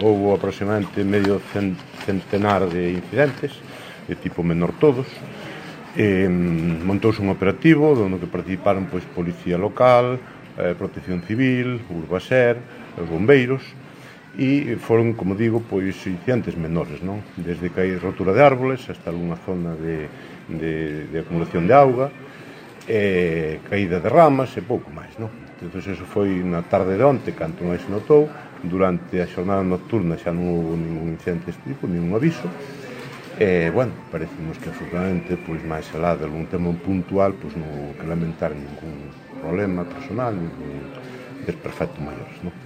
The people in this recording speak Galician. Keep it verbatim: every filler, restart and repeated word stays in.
houve aproximadamente medio centenar de incidentes, de tipo menor todos. Eh, montouse un operativo onde que participaron pois, Policía Local, eh, Protección Civil, Urbaser, os bombeiros, e foron, como digo, pois incidentes menores, non? Desde que hai rotura de árboles hasta algunha zona de, de, de acumulación de auga, eh, caída de ramas e pouco máis, non? Entón, eso foi na tarde de onte, canto máis se notou. Durante a xornada nocturna xa non houve ningún incidente deste tipo, ningún aviso. E, bueno, parecemos que absolutamente, pois, máis alá de algún tema puntual, pois non houve que lamentar ningún problema personal, ningún desperfecto maiores, non?